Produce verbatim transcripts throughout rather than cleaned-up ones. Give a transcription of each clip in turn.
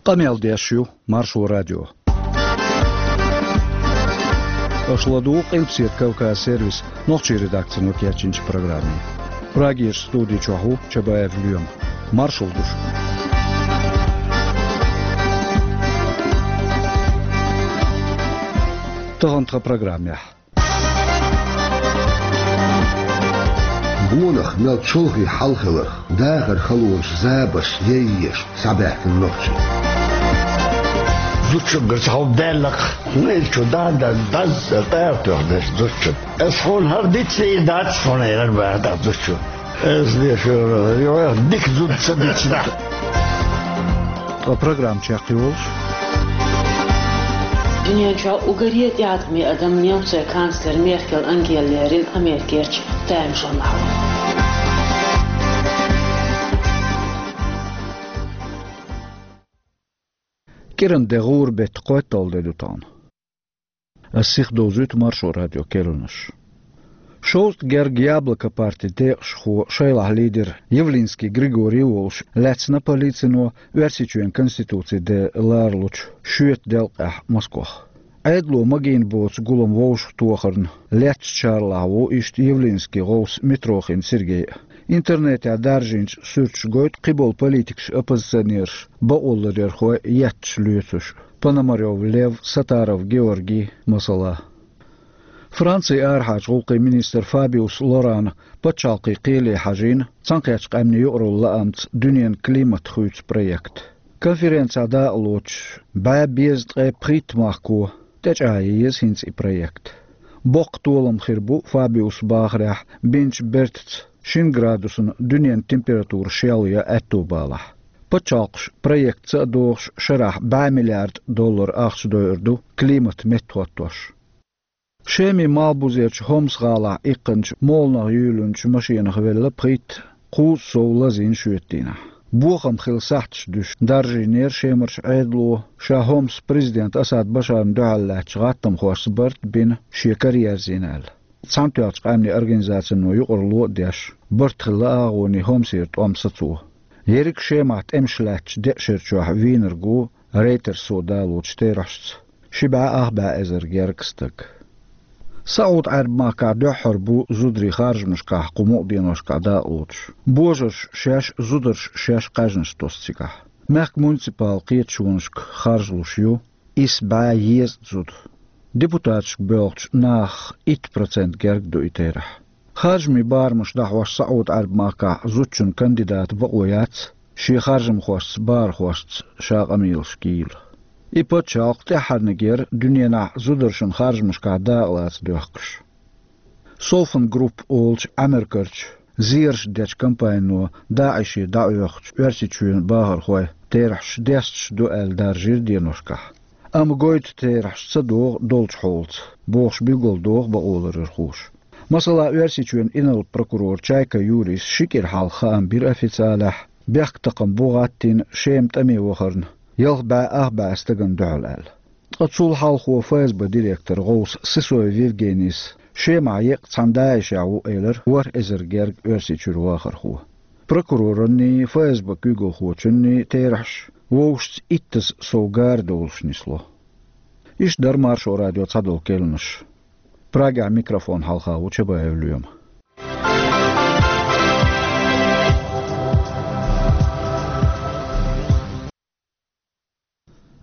Къамел деш ю Маршо радио. Аша ладугӀу Къилбаседа Кавказ сервисан нохчийн редакцино кечйинчу программе. Прагерчу студи чохь ву Чабаев Лоьма. Маршалла ду шуьга. Тахана тхан программехь. Гонах мел чолхе хьал хиларх, дахаран халонаш, забарш яйъеш схьабаьхкина нохчий. Зудчуьнгара цхьа хӀума даьллакх, ну, иза чу да, да, даз, тӀара тоьхна дерш зудчун. Ас хьуна хӀара дицлийр дац, хьуна яра баха дӀа зудчун. Ас дешара, йо, дика зуда ца дицна. Ткъа программа чекхйолуш. Дуьнен чохь уггаре а тӀеӀаткъаме адам немцойн канцлер Меркел Ангела лерина Америкерчу таймашонахь ву. КӀиран де гӀуран беттан кхойтталгӀа де ду тахана. Ас сихдовзуьйту Маршо радион керланаш. Шовзткъа герга «Яблоко» партин декъашхо, шайлахь лидер Явлинский Григорий а волуш, лаьцна полицино Оьрсийчоьнан Конституцин де ларалучу шоьтан делкъехь Москох. Ӏедало магийна боцу гулам вовшахтохарна лецначарлахь ву иштта Явлинскийн гӀовс Митрохин Сергей а. Интернетехь даржийначу суьрташа гойту кхиболу политикаш, оппозиционераш, бакъоларъярхой етташ лоьцуш, Пономарёв Лев, Сатаров Георгий, масала. Францин арахьарчу гӀуллакхийн министр Фабиус Лорана пачхьалкхийн кхеле хьажийна Цхьаьнакхеттачу Къаьмнийн юкъаралла лаамца дуьненан климат хуьйцу проект. Конференцехь дакъа лоцуш бӀе дезткъе пхийтта махко тӀечӀагӀъян еза хӀинца и проект. Боккха толам хир бу, Фабиуса бахарехь, бинчу бертаца шина градусна дуьненан температура шел ян аьтто балахь. Пачхьалкхаш проектаца а догӀуш шарахь бӀе миллиард доллар ахча дойур ду климат меттахӀоттош. Шемин малхбузерчу Хомс-гӀалахь иккхинчу моланах юьйлинчу машенах велла пхийтта, кхузткъа сов лазийна шоьтан дийнахь. Бохам хилла сахьташ дуьсуш даржийнера Шемарчу Ӏедало, ша Хомсан президентан Асад Башарна дуьхьал лаьттачу гӀаттамхошца барт а бина, шен кара ерзийна аьлла. Цхьаьнатоьхначу Къаьмнийн Организацино юкъаралла а деш, барт хилла агӀоний Хомсера тӀом сацо. Ерриг Шемахь тӀемаш лаьттачу деа шарчохь вийнарг ву Рейтерсо далочу терахьашца ши бӀе ах бӀе эзар гергга стаг. СаӀуд-Ӏаьрбийн махкахь дуьххьара бу зударий харжамашкахь кху мукъа деношкахь дакъа лоцуш. Божарша шаьш, зударша шаьш кхаьжнаш тосу цигахь. Мехкан муниципал кхеташонашка харжалуш ю исс бӀе езткъа зуда. Депутаташка боьлхучу нахах итт процент герга ду и терахь. Харжамийн барамаш дӀахьош СаӀуд-Ӏаьрбийн махкахь зудчун кандидатан бакъо яц, шен харжамхошца, барахошца ша къамелаш кийла. И пачхьалкх тӀаьххьарниг яра дуьненахь зударшна харжамашкахь дакъа лаца доьхкуш. Софан Групп олучу Ӏамеркарчу зераш дечу компанино ДАИШе дӀаоьхучу Оьрсийчоьнан бахархой терахьаш десташ ду аьлла даржийра деношкахь. Амма гойту терахьаш ца догӀу долчу хьолаца, бохуш билгалдоху бакъоларъярхоша. Масала, Оьрсийчоьнан инарла прокурора Чайка Юрис ши кӀира хьалха хаам бира официалехь, бехктакхаман бу гӀаттийна Шема тӀаме вахарна ялх бӀе ах бӀе стагана дуьхьал аьлла. Ткъа цул хьалхо ФСБ директоран гӀовса Сысоев Евгенийс Шемахь еккъа цхьана ДАИШехь ву элира ворхӀ эзар герга Оьрсийчуьра вахархо. Прокуроранний, ФСБ куьйгалхочунний терахьаш вовшашца иттаза сов гара долуш нисло. Иштта дара Маршо радион цхьадолу керланаш. Прагехь микрофон хьалха ву Чабаев Лоьма.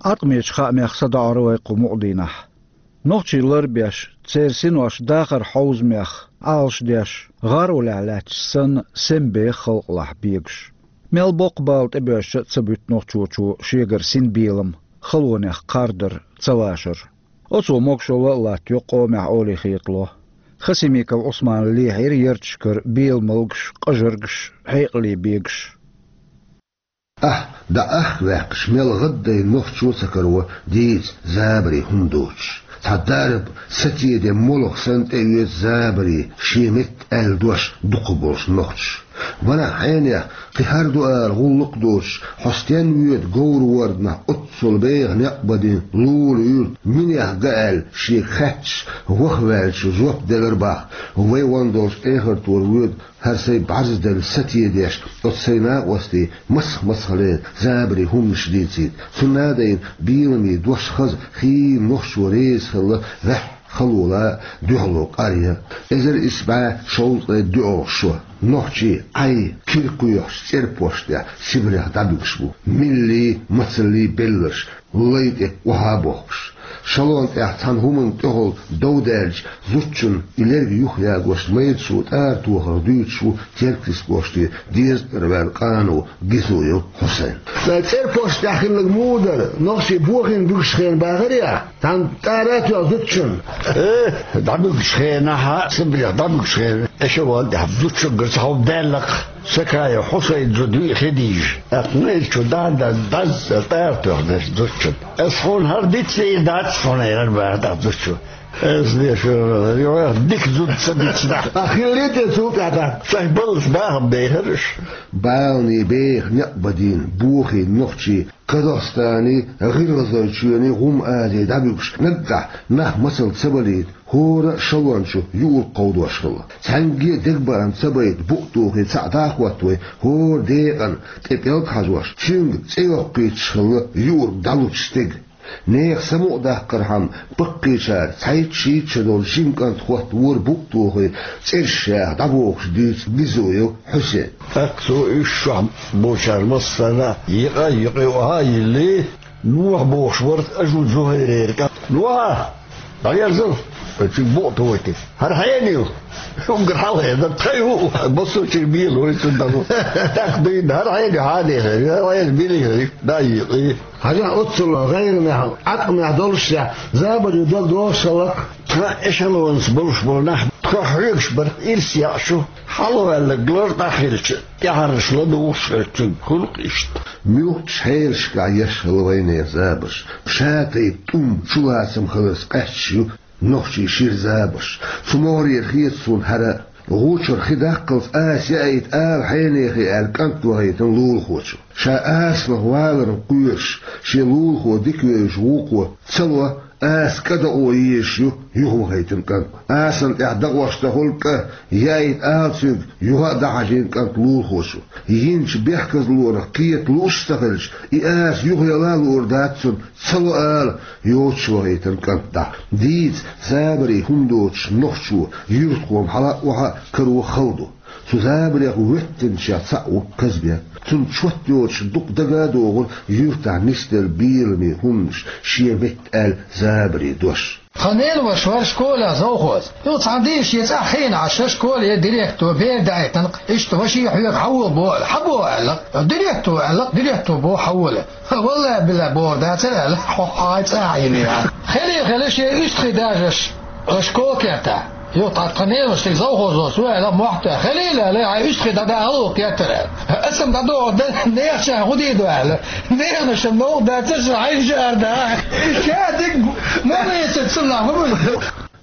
Ӏаткъамечу хаамех садоӀур вай кху мукъа дийнахь. Нохчий ларбеш, церан синош дахаран хьовзамех Ӏалашдеш, гӀаролехь лаьтташ санна, сема беха халкъалахь бегаш. Мел боккха бала тӀебоьжча а ца буьту нохчочо шегара синбелам, халонех кхардар, ца вашар. Оцо могушалла а латтайо къомехь олий хетало. Хасимиков Ӏусмана лехьийра ярташкара беламалгаш, къажаргаш, хьекъале бегаш. Ахь дӀаахка ваьккхича, мел гӀаддай нохчо а ца каро дийца забаре хӀума доцуш. Цхьа дарба сатеден молха санна тӀеоьцу забаре шен метта аьлла дош дукхахболуш нохчаша. Ванах хьенех, кхин хӀара ду ала гӀуллакх а доцуш, хьо стен воьду говр-ворданах оццул беха некъ бадина Лула-Юьрта, минех га аьлла, шега хаьтташ, ваха ваьллачо жоп делар бах: «Вай ван долчу эхартора воьду, хӀара сайн бӀаьрзделла сатедеш, оцу сайн накъостий мацах-мацах лер забаре хӀуманаш дийцийта». Цунна а дайна, беламе дош хаза, хийла нохчо реза хилла ваьхьа халола а, дуьхьало къаръян а. Эзар исс бӀе шовзткъе доьалгӀа шо. Нохчий Ӏай, кира кхоьхьуш, цӀерпошт тӀехь Сибрех дӀабуьгуш бу. Милли, мацалли белларш, лай тӀе охьа а бохкуш. Шалон тӀехь цхьана хӀуманна тӀехула дов даьлча, зудчунна и лерг юхаягош, майрачо тӀара тохарх дуьйцуш ву Теркйист кӀоштера дезткъара ваьлла къано Гизоев Хьусайн. Сан цӀерпошт тӀехь хилларг муха дара, нохчий бохийна буьгуш хенахь бахарий ахь? Цхьана тӀара а тоьхна зудчунна? Э, дӀабуьгучу хенахь, Сибрех дӀабуьгучу хенахь, эшелон тӀехь зудчуьнгара цхьа хӀума даьлла-кх, Сакаев Хьусайн зуда виъ хи дийжа. ТӀаккха майрачо дӀа-дӀа дӀазза тӀара тоьхна зудчунна. Ас хьуна хӀара дицлийр дац хьуна, элира бара тӀаккха зудчо. Ас деш, юха дика зуда ца дицна. А хиллий те цул тӀаьхьа? Сайн баллаца бахам бехара уьш. Баланийн беха некъ бадийна, бохийна нохчий Казахстаний, ГӀиргӀазойчоьний, ГӀум-Азий дӀабуьгуш, наггахь нах мацалла ца балийта, хӀора а шалон чу юург кховдош хилла. Цхьаьнгге а дегабаам ца байта, букъ тухий цхьаъ дӀа а хӀоттавой, хӀора декъана тӀе пӀелг хьажош, цуьнга цӀе йоккхуьйтуш хилла юург дӀалучу стеган. Нехан самукъадаккхархьама, баккхийчара цхьайтта-шийтта шо долчу жима кӀанта хӀоттавора букъ тухий, цӀераш яха дӀабохуш, дуьйцу Гизоев Хьусейна. ТӀаккха цо уьш чохь болчара массарна а йикъа, йикъе охьа а йиллий, Ноха бохуш вара Ажу Зухайрера кӀант. Ноха! ДӀаерзал! Оцуьнга букъ тухуьйту. ХӀара хьенан ю? Уггар хьалха эр дара, тхан ю, массочуьра бело вай цунна дӀало. ТӀаккха дуьйна, хӀара хьенан ю, хьан дехар ю, хӀара хьенан билийхар ю, дӀа а йикъий. Хьажахь, оццул гӀайгӀанехь, Ӏаткъамехь долуш шех, забаре дог догӀуш хиллакх. Тхан эшелонца болуш болу нах тхох хьоьгуш бара, ирс яӀ шу, хьалхаваьлларг лар дӀахилча, тӀаьхьарнаш ладугӀуш хилчун, хуьлу-кх иштта. Муьлххачу хьелашкахь еш хилла вайнехан забарш, ша тайпа тӀум, чулацам хиларца къаьсташ ю нохчийн шира забарш. Цу могӀарера хета суна хӀара а. ГӀу чуьра хи даккхалц аса яийта ала хьенехе аьлла, кӀант вахийтина лулахочо. Ша асанах валарна кхоьруш, шен лулахо дика вевзаш вукхо ца ло, аса кӀадоӀо езаш ю юхавахийтина кӀант. Асана тӀехь дакъош дан хуьлу кӀа, яийта ала цуьнга, юха а дӀахьажийна кӀант лулахочо. Йинчу бехказлонах кхета лууш а ца хилча, и аса юхаяла а луур дац цунна, ца ло ала, йоцуш вахийтина кӀант дӀа. Дийца, забаре хӀума доцуш нохчо юьртахо-м хьала а, охьа а каро хала ду. Цу забарех воьттинчех цхьаъ ву Казбек. Цунна чот йоцуш дукха дага а догӀура юьртахь нисделла беламе хӀуманаш, шен метта аьлла забарийн дош. Тхан ненан ваша вара школехь завхоз. Юха цхьана дийнахь шен цӀахь хиъна Ӏаш, школе директоро бер даийтина-кх, иштта ваший хьоьга хьавола боху аьлла, хьан боху аьлла-кх. Директор аьлла-кх, директор боху хьавола. Валлай-биллай бохур дацара аьлла, хьо хьайн цӀа а йина яра. Хилий хила шен уьстагӀий дажаш, аш школа кертахь. Юха тхан ненан ваша шега завхозо цо аьлла, мохь тоьхна. Хилийла аьлла, хьайн уьстагӀий дӀадахьа гӀуллакх кеттара аьлла. Аса-м дӀадоху, дан нехан чохь хӀун дийр ду аьлла. Неханашна новкъа дацара ша хьайн шаар да. Ша дика ма вецара цунах, ма вуьйла.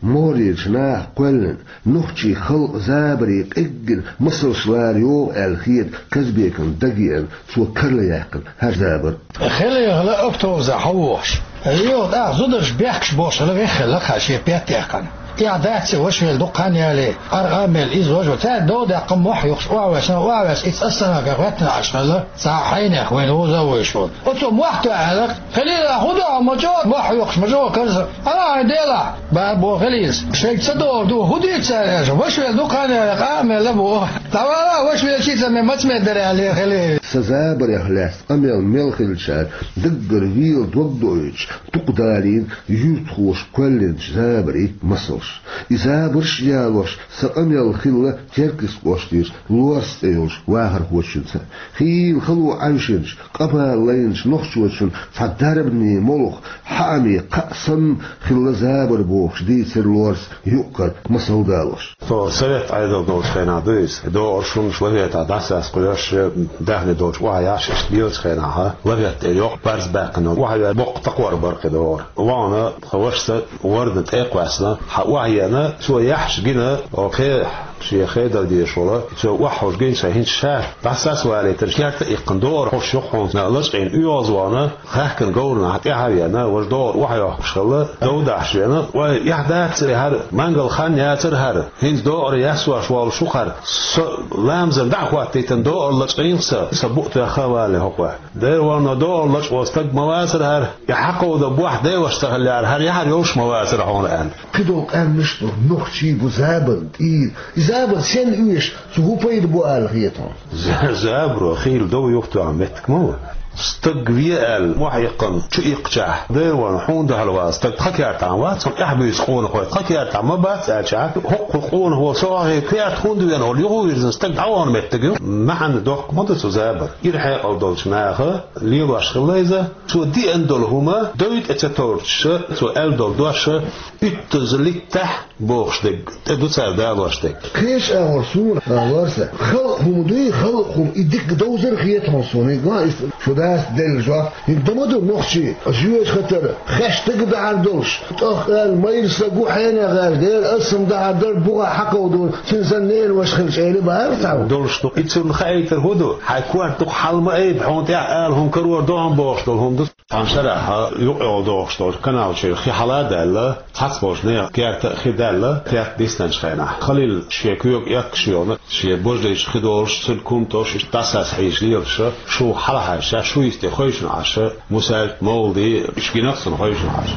МогӀарерчу наха кхоьллина, нохчийн халкъан забарийн къеггина масалш лара йогӀу аьлла хета Казбекна дагеана, цо карла яьккхина хӀара забар. Хилий хила автобусехь хьавогӀуш. Юха тӀаккха зударша бехкаш болуш хила веххилла-кх шен пет а яьккхина. Эхь дац и, ваша велла дукха хан яле, къаркъа а мелла иза важа. Цаьрга дов даьккхина, мохь юхуш, охьаваьлла, охьаваьлла, иза ас санна ган гӀоьттина Ӏаш хилла, цхьа хьенех вайна вуза а вуьйш волу. Оцо мохь тоьхна аьлла-кх: «Хилийла, хӀун ду хьо, ма чӀогӀа мохь юхуш, ма чӀогӀа карза? Ана хьайн делахь!» Баба боху Хилийс. Шайга ца догӀур ду, хӀун дийца цара аьлча, ваша велла дукха хан яле, къа а мелла боху. ДӀавала, ваша велчий ца ме, маца мер дара аьлла Хилий. Сан забарех лаьцна къамел мел хилчара даггара вела дог доуьйтуш, дукха далийна юьртахоша кхоьллинчу забарийн масалш. И забарш а ялош, сан къамел хилла Теркйист кӀоштера Лорс цӀе йолчу вахархочуьнца. Хийла хало Ӏаьвшинчу, къа-бала лайначу нохчочун цхьа дарбане молха, хьааме кхаъ санна хилла забар бохуш дийцира Лорс юкъ-кара масал далош. Тхо совет Ӏедал долчу хенахь ду иза. ДогӀурш, хӀуманаш лафетахь дӀасаскхош, даьхни долчу охьаяхьаш, иштта лелачу хенахь, лафетта тӀе йоккха барз баьккхина, охьаваьлла боккха такхор бара кхидӀа догӀур. Вахана тхан вашас вордан тӀе а кхоьссина, хьан охьаеана, цо яхьаш гина, оха кхе Шен хедар дезаш волу, цо охьахьожу гинча хӀинца ша дӀасас валийтарш керта а иккхина, доӀар хьош юкъахьуна лачкъийна оьгӀазвахана, хаьхкина говрана тӀаьхьа а веана, важа доӀар охьайохкуш хилла, дов дахьаш веана. Вай, эхь дац хӀара, мангал хан яцара хӀара. ХӀинца доӀар яссош волуш ву хӀара. Со ламазан дӀа а хӀоттийтина доӀар лачкъийна сан, сан букъ тоьхна а валийна хӀокхо. Дера ванно, доӀар лачкъо стаг ма вацара хӀара, и хьакховдан бохь деваш ца хиллехьара, хӀара яхьар йолуш ма вацара хьуна аьлла. Кхидолу къаьмнаш а ду, нохчий бу забарна тӀера. И забар сенна оьшу, цу хӀун пайда бу аьлла хета хьуна? За-, забаро хийла дов юхатоьхна меттиг ма ву. Стаг ве аьлла, мохь иккхина, чу иккхачахь, дера ванно, хьуна дуьхьал вац, стаг тхан кертахь вац, хьуна тӀаьхьа буьйцу къонахой тхан кертахь ма бац аьлчахь, хӀокху къонахо со хьахийна керта хӀунда веана, хьуна юха вирзина стаг дӀавахана меттиг ю. МаьӀна доккха ма ду цу забар. Ира хьекъал долчу наха лелош хилла иза. Цо деана долу хӀума дой тӀе ца торчуша, цо аьлла долу доша, уьттаза литтахь бохуш дерг тӀе ду цара далош дерг. Кхечу агӀор суна, а, лорса, халкъ хӀума дуй, халкъ хӀума и дика довзар хета хьуна суна. ХӀинца ма ду, шу дас делла жоп. ХӀинца ма ду нохчий, жоьжахатара, хеш стаг дахьар долуш. ТӀаккха аьлла, майра стаг ву хьенех аьлла, дера аса-м дахьар дара, бухахь хьакховдо, цуьнан санна ненан ваша хилча, эли бахьара цхьамма. Долуш ду. И цунна хаийтар хӀун ду? Хьайн корта дукха хьал ма айба, хьуна тӀехь ала хӀума карор ду хьуна бохуш долу хӀума ду. Цхьана шарахь юкъа йолу дохуш долчу каналчуьра хи хьала а даьлла, цхьацца болчу нехан керта а хи даьлла, керта диснарчу хенахь. Халил шен куьйга эккхаш йолу, шен божарийчу хи долуш, цуьнан кумтош иштта дӀасас хьийзаш лелаш, шу хьалахьаьжча, шу йисте хевшина Ӏаш, Мусаьл, Мовлади, иштта гинарг цунна хевшина Ӏаш.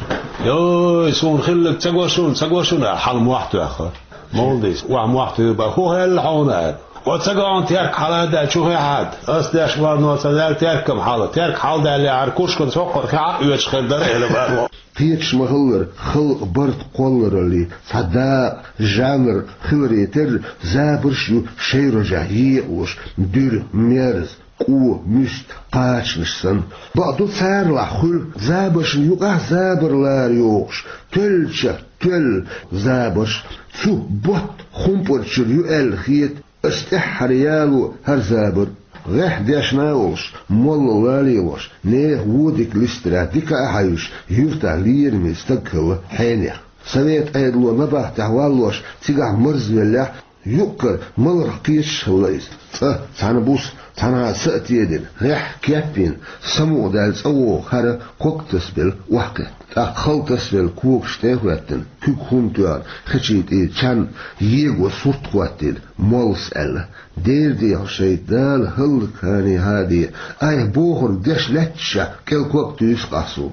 «Йой, суна хилларг ца го шуна, ца го шуна», — аьлла, хьала мохь тоьхна. Мовладис, охьа мохь туьйра бан, хӀун хилла хьуна аьлла. Оцу ца гахьа терка хьала а даьлла, чу хи хьада. Ас деш ванно ца даьлла теркам хьала. Терка хьала даьллехьара, кушкан соккхар хи Ӏа а оьцуш хир дара, эли бан. Кхеташ ма-хиллара, халкъан барт кхолларалле, цхьа дакъа, жанр хиларе терра, забарш а ю шайн рожехь екъалуш, дуьра, мерза, къо, муьста, кхачанаш санна. Бакъду, царалахь хуьлу забаршна юкъахь забар лара йохуш, тоьллачех тоьлла забарш. Цу ботт хумпарчуьра ю аьлла хета ас тӀаьххьара яло хӀара забар. ГӀеххьа дешна а волуш, молла а лелош, нехан вон дика листарехь, дика а хьаьвзаш, юьртахь лераме стаг хилла хьенех. Совет Ӏедало набахтехь валлош, цигахь марзвеллехь, юккъера маларх кхеташ хилла иза. Цкъа цхьана буса, цхьанхьа са а тедина, гӀеххьа кеп йина, самукъадаьлла цӀа вогӀу хӀара ког тасабелла охьакхетта. ТӀаккха хала тасабелла когаш тӀе а хӀоьттина, куьг хӀума тоьхна, хечийн тӀера чан его сурт хӀоттийна, моллас аьлла: «Дера дехьа шайтӀа, Дала хӀаллакьхьане хьаде, айхьа бохург деш лаьтташехь, кӀел ког туьйсу ахь суна».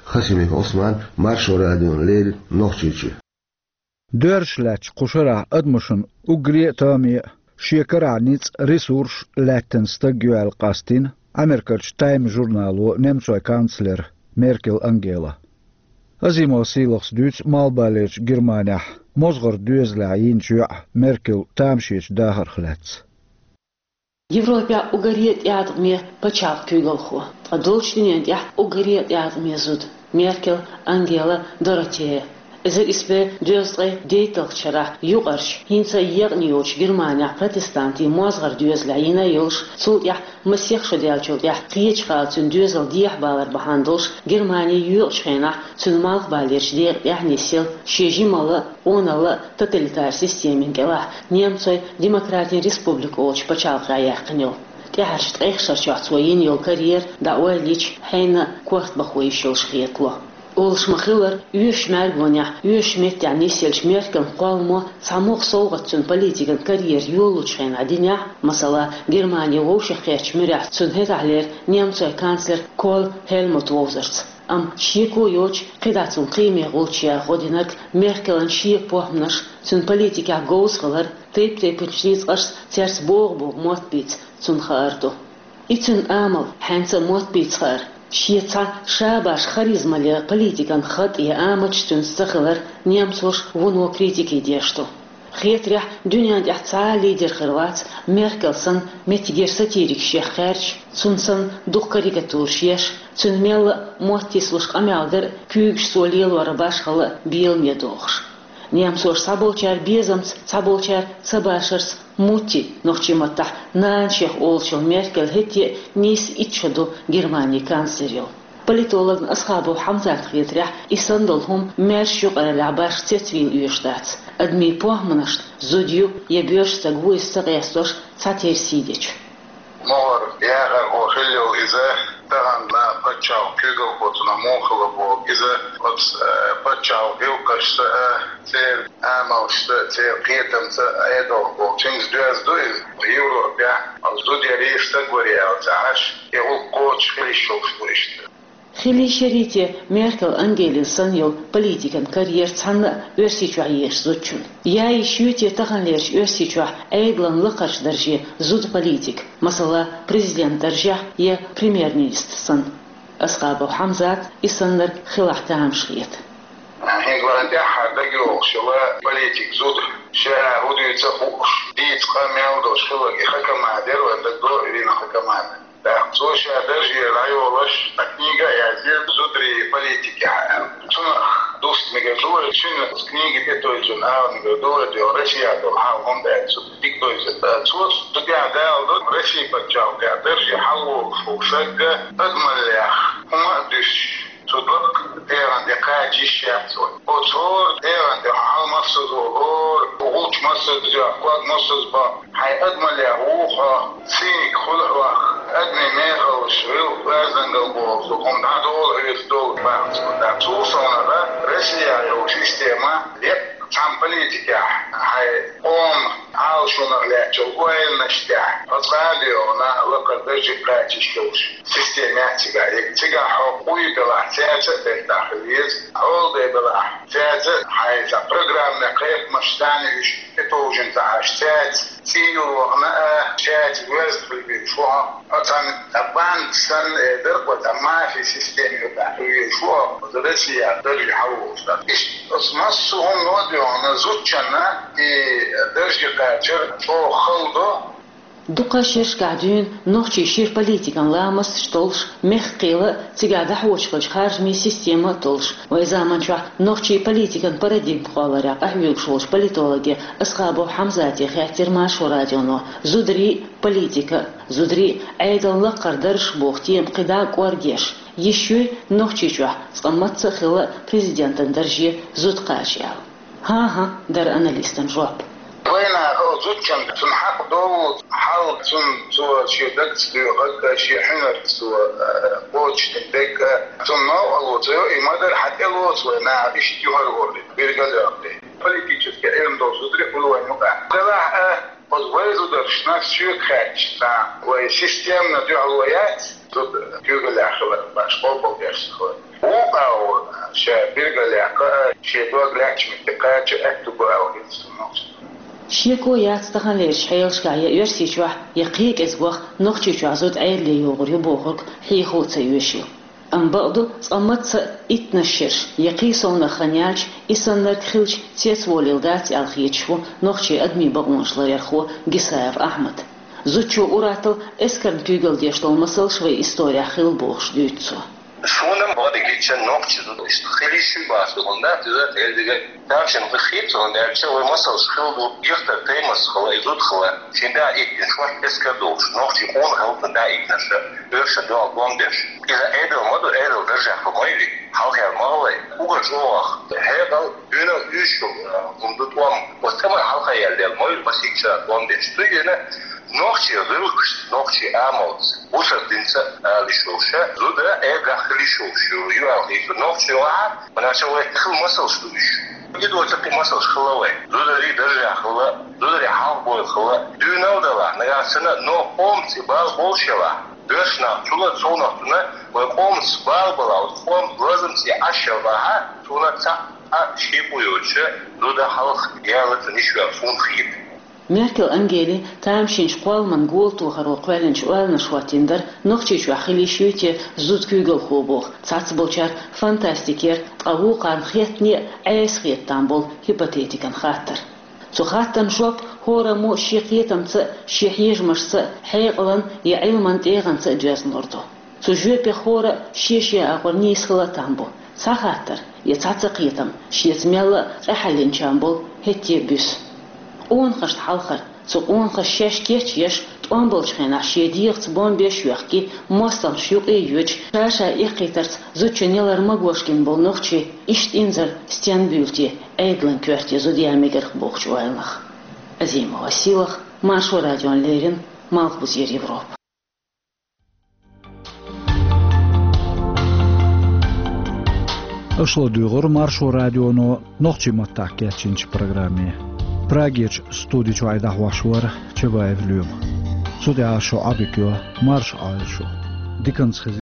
Хасимиков Ӏусман, Маршо радиона леррина, Нохчийчоь. Доьрзуш лаьттачу кху шарахь адамашна уггаре а тоаме а, шен карахь ницкъ, ресурс лаьттина стаг ю аьлла къастийна Америкерчу Time журнало немцойн канцлера Меркел Ангела. Азимов Сийлахьас дуьйцу Малхбалерчу Германехь мозгӀаран доьзалехь йинчу йоӀ Меркел тамашечу дахарх лаьцна. Европехь уггаре а тӀеӀаткъаме пачхьалкх куьйгалхо, ткъа долчу дуьнен тӀехь уггаре а тӀеӀаткъаме зуда Меркел Ангела Доротея. Эзар исс бӀе дезткъе дейтталгӀачу шарахь юкъарчу, хӀинца а екъна йолчу Германехь протестантийн мозгӀаран доьзалехь йина а йолуш, цул тӀаьхьа масех шо даьллачул тӀаьхьа кхечу хала цуьнан доьзал дехьабалар бахьана долуш, Германи йоькъучу хенахь цуьнан Малхбалерчу декъа тӀехь нисъелла, шен жималла а, къоналла а тоталитар системин кӀелахь, немцойн Демократийн Республика олучу пачхьалкхехь яьккхина йолу. ТӀаьхьарчу ткъех шарчохь цо йина йолу карьера дӀаоьллича, хьенан а корта бахо йиш йолуш хетало. Олуш ма-хиллара, оьшучу мӀаьргонехь, оьшучу меттехь нисъеллачу Меркелан кхолламо цхьа могӀа совгӀат цуьнан политикан карьера йолалучу хенахь динехь, масала, Германи вовшахкхеттачу муьрехь цуьнан хӀетахьлера немцойн канцлер Коль Хельмут вовзарца. Амма шеко йоцуш, кхидӀа цунна кхиаме гӀулч яха гӀо динарг Меркелан шеко похӀманаш, цуьнан политикехь говза хилар, тайп-тайпанчу ницкъашца цаьрца богӀу-богӀу мотт бийца цунна хаар ду. И цуьнан амал, хьаьнца а мотт бийца хаар, шен цхьа ша-башха харизмале политикан хатӀе амалш цуьнца ца хилар немцоша вуно критике деш ду. Хетарехь, дуьнен тӀехь цхьа а лидер хир вац, Меркел санна меттигера сатирикаш еха кхаьрдаш, цунна санна дукха карикатураш еш, цуьнан мелла а мотт йисалуш къамел дар а, куьйгаш цо лелор а башхалла а беламе дохуш. Немцоша цхьаболчара безамца, цхьаболчара ца башарца «Мутти», нохчийн маттахь «нана» шех олучу Меркел хӀетте а нийсса итт шо ду Германин канцлер йолу. Политологна Асхабов Хьамзатна хетарехь, и санна долу хӀума маьрша юкъараллехь башха цецвийла оьшуш дац. Адамийн похӀманашна зуда ю я боьрша стаг ву иза ца къестош цхьатерра сий дечу. МогӀар яхар хӀо хилла йолу иза, тахана пачхьалкх куьйгалхо цунах муха хилла боху иза, оцу, э, пачхьалкх гӀиллакхашца а, церан амалшца а, церан кхетамца а Ӏедалх болчуьнца доьзна ду иза. Европехь оцу зуда ярий стаг варий аьлла ца Ӏаш, и гӀуллакх кхочуш хила йиш йолуш ду иштта. Хила йиш ярий те Меркел Ангелина санна йолу политикан карьера цхьанна а Оьрсийчохь езачу зудчун? Я йиш юй те таханлерчу Оьрсийчохь Ӏедалан лакхарчу дарже зуда политик, масала, президент даржехь я премьер-министр санна? Асхабов Хьамзат и саннарг хилахь тамаш хета. ХӀинца вайн тӀаьххьара дагайогӀуш йолу политик зуда, ша хӀун дуьйцу а хууш, дийца къа мел долуш хилларг и Хакамада яра, вайн дагадогӀу Ирина Хакамада. ТӀаккха цо ша даржера дӀайолош, цхьа книга а яздира зударий политикехь аьлла. Цунах дуста мегар ду вай, цуьнан книга тӀетевжина ала мегар ду вай, дуьхьа Россия долу хьал хӀунда аьлча цу дика довзийта. Цо цу тӀехь даладо Россия пачхьалкхехь дарже хьалавогӀуш волу стаг адамаллех хӀума а дуьсуш, цу дог тӀегӀан тӀе кхача йиш яц вай. Оцу хӀора тӀегӀан тӀе хьал массаза волу, хӀора гӀулч массаза йоккху, ког массаза боккху, хьайн адамаллех вуха хьо, циниг хуьлу хьох, адамийн мехаллаш, гӀиллакх, оьздангалла боху хӀума дӀадолу хьоьца долу бахьанца. Цул совнаха Россия йолу система, деккъа цхьана политикехь, хьайн къоман Ӏалашонах лаьттачу ойланаш тӀехь, оцу къадойгӀана лакхара дарже кхача йиш йолуш система яц цигахь. Цигахь хьо къуй белахь, цаьрца а бертахь хила веза, хьол де белахь, цаьрца а хьайн цхьа программехь кхайкхамаш царна уьш тӀетовжина ца Ӏаш, цаьрца цӀийла вахана а, цаьрца воьзна хила везаш ву хьо. Хьо цхьана цхьа банда санна, э, дара-кх вай, цхьа мафи система юкъахь хила везаш ву хьо, оцу Россия дарже хьалаволуш дара. Иштта оцу массо а хӀумано а доьгӀна, зудчунна и дарже кхачар чӀогӀа хала до. Дукха шерашкахь дуьйна нохчий шира политикан ламасташ толлуш, мехкан кхел а, цигахь дӀахьочуш хиллачу харжамийн система а толлуш, вайн заманчохь нохчий политикан парадигма кхолларехь къахьоьгуш волчу политологе Асхабов Хьамзате хаьттира Маршо радионо, зударий а, политика а, зударий а, Ӏедалан лакхара дарж боху тема кхидӀа а кӀоргеш, йиш юй Нохчийчохь цкъа мацца а хилла президентан дарже зуда кхача аьлла. ХӀан-хӀа, дара аналистан жоп. Вайнах а зудчун цунна хьакъ долу хьал, цунна цо шен дагца доьхург а, шен хьуьнарца цо, э, кхочушдина дерг а, цунна новкъарло ца йо, и ма-дарра хьан тӀелоцу вай наха иштта юхар-гӀорре, билгал а йоккхий. Политический Ӏилма долу зударий хуьлу вайн юкъахь. Делахь а, оцу вай зударшна соьга хаьттича, цхьа вай системно дуьхьало яц, зуда куьйгаллехь хилар башха къобалдеш ца хилар. Вукху агӀор ша билгалъяьккха а, шен дог лаьттачу метте кхача а аьтту бу аьлла хета суна нохчашна. Шеко яц таханлерчу хьелашкахь я Оьрсийчохь, я кхин а кӀезигох Нохчийчохь зуда Ӏедале йогӀур ю бохург хьехо а ца оьшу. Амма бакъду, цкъа мацца а иттанаш шераш я кхин совнаха хан яьлча, и саннарг хилча цецволийла дац аьлла хеташ ву нохчийн адамийн бакъонаш ларъярхо Гисаев Ахьмад. Зудчо ур-атталла эскарна куьйгалла деш долу масалш вайн исторехь хилла бохуш дуьйцу цо. Суна бакъдерг хетча, нохчийн зуда иштта хила йиш ю бохуш ду хӀунда, иза элдига тамашийна хета, хӀунда аьлча вай масалш хилла ду, гихтар таймас хилла, и зуда хилла, шен да иттина шорта эскар долуш, нохчийн къона хилла цу да иттинарш, оьрсашна дуьхьал бом беш. Иза Ӏедал ма ду, Ӏедал даржехь хилла ма ю и, хьалхара ма хилла и. Уггар чӀогӀа хьекъал, дуьнал уьйш йолу, а, хӀума ду тӀом. Оцу тӀаман хьалха яьлла ма ю массийтта шарахь бом беш. Цуьнгара нохчийн гӀиллакхашца, нохчийн амалца, бусалба динца ала йиш йолуш, зуда Ӏедалехь хила йиш йолуш ю аьлла хета нохчийн вахьа, хӀунда аьлча вай хилла масалш ду уьш. И доцург и масалш хилла вай. Зударий даржехь хилла, зударий хьалха бойла хилла. Дуьйна а далахь, нагахь санна, но къомаца и бала болуш елахь, оьрсашна цул а совнаха цунна, вай къомаца бала балахь, оцу къоман лазамца и Ӏаш елахь, цунна цхьа а шеко йоцуш, зуда хьалха яла цунна йиш йоцу суна хета. Меркел Ангели тамашийначу кхолламан гола тохаро кхоьллинчу ойланаш хӀоттийна дара, Нохчийчохь хила йиш юй те зуда куьйгалхо боху, цхьаццаболчара фантастикера, ткъа вукхарна хеттане а Ӏеса хета там болу гипотетикан хаттар. Цу хаттарна жоп хӀораммо шен кхетамца а, шен хьежамашца а, хьекъалан я Ӏилман тӀегӀанца а доьзна лур ду. Цу жоьпех хӀора а шен-шен агӀор нийса хила а там бу. Цхьа хаттар я цхьа ца кхетам шеца мелла а къахьеллинчарна болу хӀетте а буьсу. Къонахашна хьалхара, цу къонахаша шаьш кечъеш, Тховсамболчу хенахь шен дегӀаца бомбеш а йоьхкий, мостагӀчу юкъе а йоьдуш, ша-ша эккхийтарца зудчун ялар магош гина болу нохчий иштта инзаре стенна буьйлу те Ӏедалан коьрте зуда ян мегарх бохучу ойланах. Азимова Силах, Маршо радиона леррина, Малхбузера Европа. Аша ладуьйгӀура Маршо радионо нохчийн маттахь кечйинчу программе. Прагерчу студи чуьра дӀахьош вара Чабаев Лоьма. Цу тӀехь шун Ӏодика йо, марша Ӏойла шу. Диканца хеза.